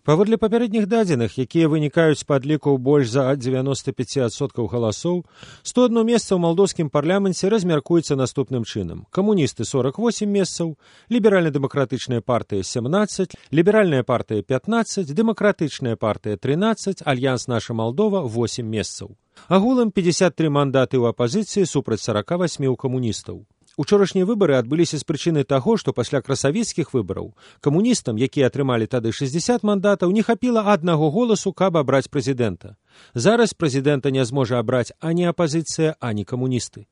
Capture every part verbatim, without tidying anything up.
Паводле папярэдніх дадзеных, якія вынікаюць з падлікаў больш за дзевяноста пяць адсоткаў галасоў, сто адно месца ў малдоўскім парламенце размяркуецца наступным чынам. Камуністы сорок восемь месцаў, ліберальна-дэмакратычная партыя семнадцаць, ліберальная партыя пятнадцаць, дэмакратычная партыя трынаццаць, альянс «Наша Малдова» восемь месцаў. Агулам пятьдесят три мандаты ў апазіцыі супраць сорока восьми ў камуністаў. Учорашнія выбары адбыліся з прычыны таго, што пасля красавіцкіх выбараў камуністам, якія атрымалі тады шэсцьдзесят мандатаў, не хапіла аднаго голасу, каб абраць прэзідэнта. Зараз прэзідэнта не зможа абраць ані апазіцыя, ані камуністы.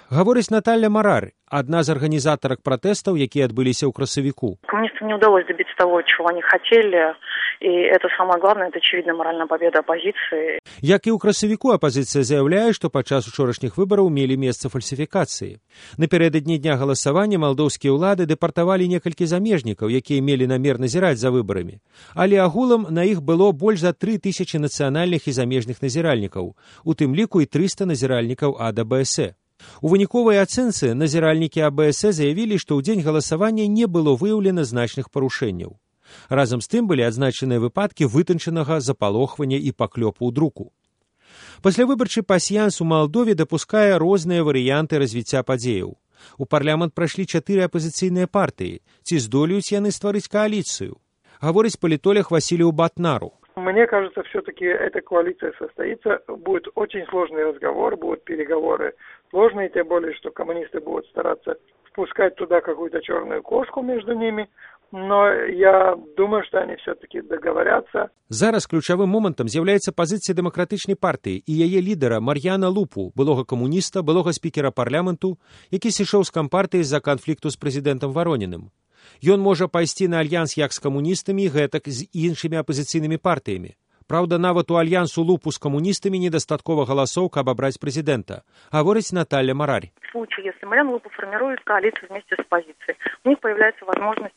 Гаворыць Наталья Марар, одна з арганізатарак пратэстаў, якія адбыліся ў красавіку. Коммунистам не удалось добиться того, чего они хотели, и это самое главное, это очевидно моральная победа оппозиции. Як і ў красавіку, апазіцыя заяўляе, што падчас учорашніх выбараў мелі месца фальсіфікацыі. Напярэдадні дня галасавання малдоўскія ўлады дэпартавалі некалькі замежнікаў, якія мелі намер назіраць за выбарамі. Але агулам на іх было больш за тры тысячы нацыянальных і замежных назіральнікаў, у тым ліку і трыста назіральнікаў ад а бэ эс э. У выніковай ацэнцы назіральнікі а бэ эс э заявілі, што ў дзень галасавання не было выяўлена значных парушэнняў. Разам з тым былі адзначаныя выпадкі вытанчанага запалохвання і паклёпу ў друку. Паслявыбарчы пасьянс у Малдове дапускае розныя варыянты развіцця падзеяў. У парламент прайшлі чатыры апазіцыйныя партыі. Ці здолеюць яны стварыць кааліцыю? Гаворыць палітолог Василию Батнару. Мне кажется, все-таки эта коалиция состоится. Будет очень сложный разговор, будут переговоры сложные, тем более, что коммунисты будут стараться впускать туда какую-то черную кошку между ними. Но я думаю, что они все-таки договорятся. Зараз ключавым момантам з'яўляецца пазіцыя дэмакратычнай партыі і яе лідара Мар'яна Лупу, былога камуніста, былога спікера парламенту, які сышоў з кампартыі з-за канфлікту з прэзідэнтам Варонінным. Ён можа пайсці на альянс як з камуністамі, гэтак з іншымі апазіцыйнымі партыямі. Праўда, нават у альянсу Лупу з камуністамі недастаткова галасоў, каб абраць прэзідэнта, гаворыць Наталья Марарь. В случае, если Марьяна Лупу формирует коалицию вместе с оппозицией, у них появляется возможность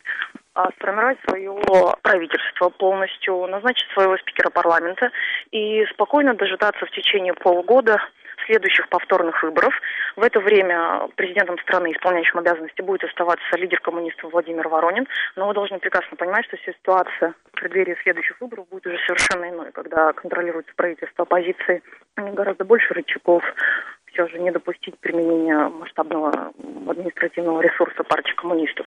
а, сформировать свое правительство полностью, назначить своего спикера парламента и спокойно дожидаться в течение полугода следующих повторных выборов. В это время президентом страны, исполняющим обязанности, будет оставаться лидер коммунистов Владимир Воронин. Но вы должны прекрасно понимать, что ситуация в преддверии следующих выборов будет уже совершенно иной, когда контролируется правительство оппозиции. У них гораздо больше рычагов все же не допустить применения масштабного административного ресурса партии коммунистов.